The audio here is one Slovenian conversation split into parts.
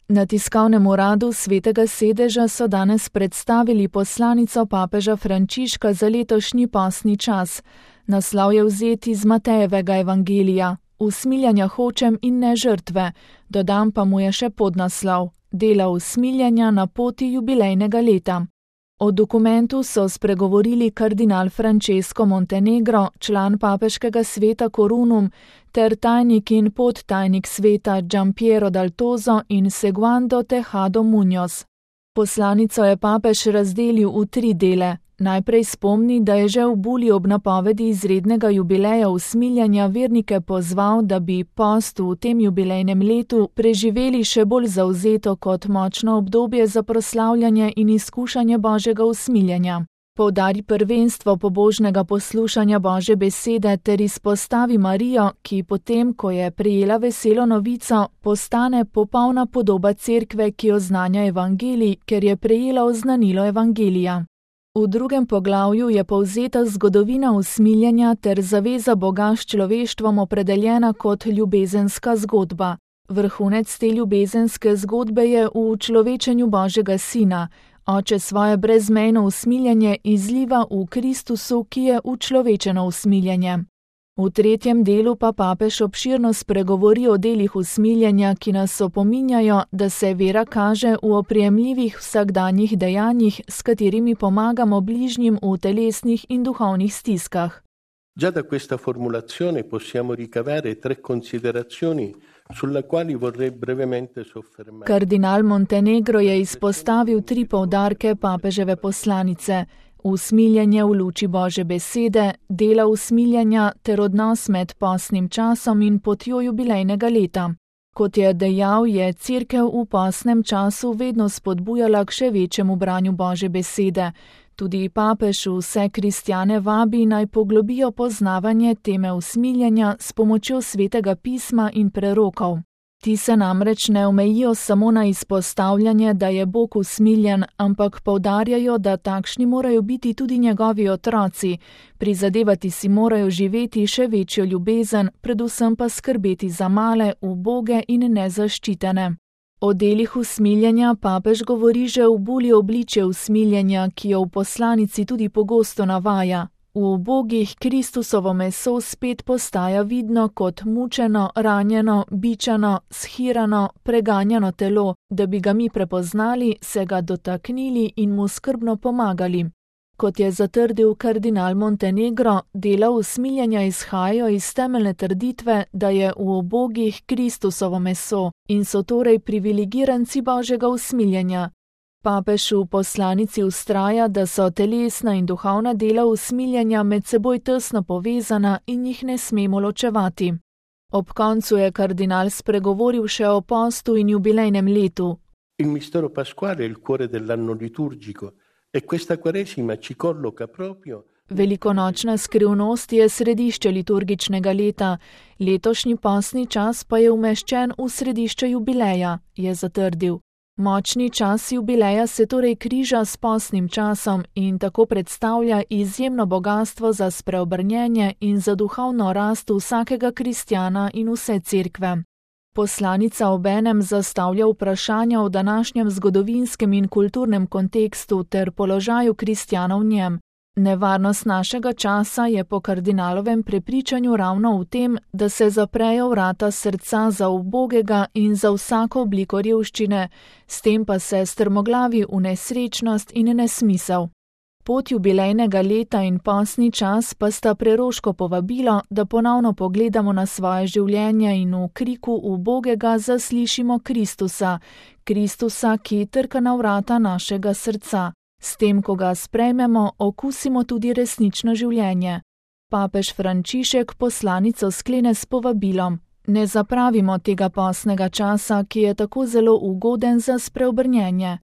Na tiskovnem uradu Svetega sedeža so danes predstavili poslanico papeža Frančiška za letošnji postni čas. Naslov je vzet iz Matejevega evangelija: Usmiljanja hočem in ne žrtve, dodam pa mu je še podnaslov: Dela usmiljanja na poti jubilejnega leta. O dokumentu so spregovorili kardinal Francesco Montenegro, član papeškega sveta Corunum, ter tajnik in podtajnik sveta Giampiero Dal Tozo in Segundo Tejado Muñoz. Poslanico je papež razdelil v 3 dele. Najprej spomni, da je že v buli ob napovedi izrednega jubileja usmiljanja vernike pozval, da bi post v tem jubilejnem letu preživeli še bolj zavzeto kot močno obdobje za proslavljanje in izkušanje Božjega usmiljanja. Poudari prvenstvo pobožnega poslušanja Božje besede ter izpostavi Marijo, ki potem, ko je prejela veselo novico, postane popolna podoba cerkve, ki oznanja evangelij, ker je prejela oznanilo evangelija. V 2. poglavju je povzeta zgodovina usmiljanja ter zaveza Boga s človeštvom opredeljena kot ljubezenska zgodba. Vrhunec te ljubezenske zgodbe je v učlovečenju Božjega Sina. Oče svoje brezmejno usmiljanje izliva v Kristusu, ki je učlovečeno usmiljanje. V 3. delu pa papež obširno spregovori o delih usmiljanja, ki nas opominjajo, da se vera kaže v oprijemljivih vsakdanjih dejanjih, s katerimi pomagamo bližnjim v telesnih in duhovnih stiskah. Già da questa formulazione possiamo ricavare 3 considerazioni sulla quali vorrei brevemente soffermare. Kardinal Montenegro je izpostavil 3 poudarke papeževe poslanice: usmiljanje v luči Božje besede, dela usmiljanja ter odnos med postnim časom in potjo jubilejnega leta. Kot je dejal, je cerkev v postnem času vedno spodbujala k še večjemu branju Božje besede. Tudi papež vse kristjane vabi, naj poglobijo poznavanje teme usmiljanja s pomočjo Svetega pisma in prerokov. Ti se namreč ne omejijo samo na izpostavljanje, da je Bog usmiljen, ampak poudarjajo, da takšni morajo biti tudi njegovi otroci, prizadevati si morajo živeti še večjo ljubezen, predvsem pa skrbeti za male, uboge in nezaščitene. O delih usmiljanja papež govori že v buli Obličje usmiljanja, ki jo v poslanici tudi pogosto navaja. V ubogih Kristusovo meso spet postaja vidno kot mučeno, ranjeno, bičano, shirano, preganjano telo, da bi ga mi prepoznali, se ga dotaknili in mu skrbno pomagali. Kot je zatrdil kardinal Montenegro, dela usmiljanja izhajajo iz temeljne trditve, da je v ubogih Kristusovo meso in so torej privilegiranci Božjega usmiljanja. Papež v poslanici vztraja, da so telesna in duhovna dela usmiljanja med seboj tesno povezana in jih ne smemo ločevati. Ob koncu je kardinal spregovoril še o postu in jubilejnem letu. Il mistero pasquale è il cuore dell'anno liturgico e questa quaresima ci colloca proprio. Velikonočna skrivnost je središče liturgičnega leta, letošnji postni čas pa je umeščen v središče jubileja, je zatrdil. Močni čas jubileja se torej križa s postnim časom in tako predstavlja izjemno bogastvo za spreobrnjenje in za duhovno rast vsakega kristjana in vse cerkve. Poslanica obenem zastavlja vprašanja o današnjem zgodovinskem in kulturnem kontekstu ter položaju kristjanov v njem. Nevarnost našega časa je po kardinalovem prepričanju ravno v tem, da se zaprejo vrata srca za ubogega in za vsako obliko revščine, s tem pa se strmoglavi v nesrečnost in nesmisel. Pot jubilejnega leta in postni čas pa sta preroško povabilo, da ponovno pogledamo na svoje življenje in v kriku ubogega zaslišimo Kristusa, Kristusa, ki trka na vrata našega srca. S tem, ko ga sprejmemo, okusimo tudi resnično življenje. Papež Frančišek poslanico sklene s povabilom: ne zapravimo tega postnega časa, ki je tako zelo ugoden za spreobrnjenje.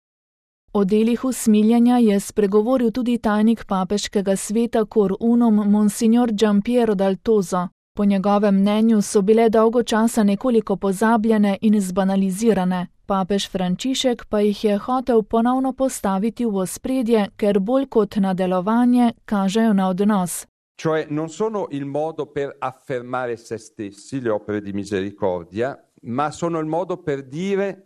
O delih usmiljanja je spregovoril tudi tajnik papeškega sveta Corunum Monsignor Giampiero Dal Tozo. Po njegovem mnenju so bile dolgo časa nekoliko pozabljene in zbanalizirane. Papež Frančišek pa jih je hotel ponovno postaviti v ospredje, ker bolj kot na delovanje kažejo na odnos. Cioè non sono il modo per affermare se stessi, le opere di misericordia, ma sono il modo per dire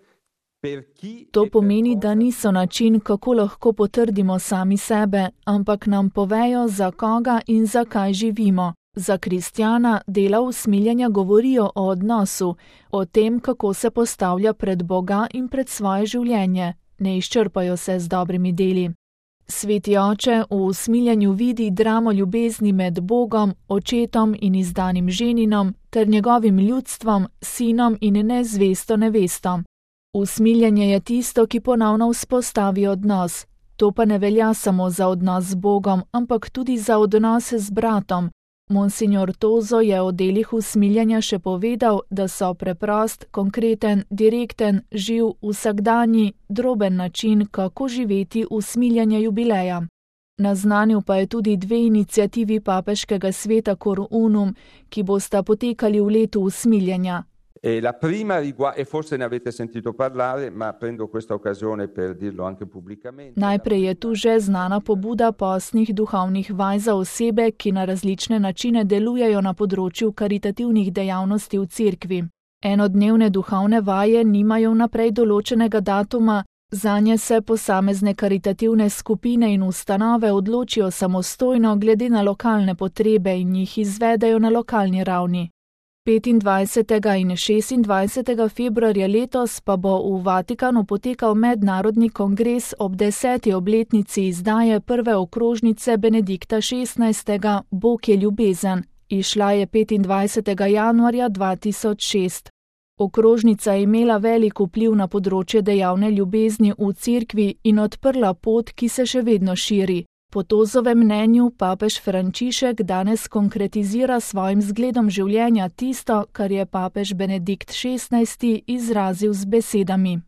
To pomeni, da niso način, kako lahko potrdimo sami sebe, ampak nam povejo, za koga in zakaj živimo. Za kristjana dela usmiljenja govorijo o odnosu, o tem, kako se postavlja pred Boga in pred svoje življenje. Ne izčrpajo se z dobrimi deli. Sveti oče v usmiljenju vidi dramo ljubezni med Bogom, očetom in izdanim ženinom ter njegovim ljudstvom, sinom in nezvesto nevesto. Usmiljenje je tisto, ki ponovno vzpostavi odnos. To pa ne velja samo za odnos z Bogom, ampak tudi za odnose z bratom. Monsignor Tozo je o delih usmiljenja še povedal, da so preprost, konkreten, direkten, živ, vsakdanji, droben način, kako živeti usmiljenje jubileja. Naznanil pa je tudi 2 iniciativi papeškega sveta Cor Unum, ki bosta potekali v letu usmiljenja. La prima e forse ne avete sentito parlare, ma prendo questa occasione per dirlo anche pubblicamente. Najprej je tu že znana pobuda postnih duhovnih vaj za osebe, ki na različne načine delujejo na področju karitativnih dejavnosti v cerkvi. Enodnevne duhovne vaje nimajo vnaprej določenega datuma, zanje se posamezne karitativne skupine in ustanove odločijo samostojno glede na lokalne potrebe in jih izvedejo na lokalni ravni. 25. in 26. februarja letos pa bo v Vatikanu potekal mednarodni kongres ob 10. obletnici izdaje prve okrožnice Benedikta XVI. Bog je ljubezen. Izšla je 25. januarja 2006. Okrožnica je imela velik vpliv na področje dejavne ljubezni v cerkvi in odprla pot, ki se še vedno širi. Po Tozovem mnenju papež Frančišek danes konkretizira svojim zgledom življenja tisto, kar je papež Benedikt XVI. Izrazil z besedami.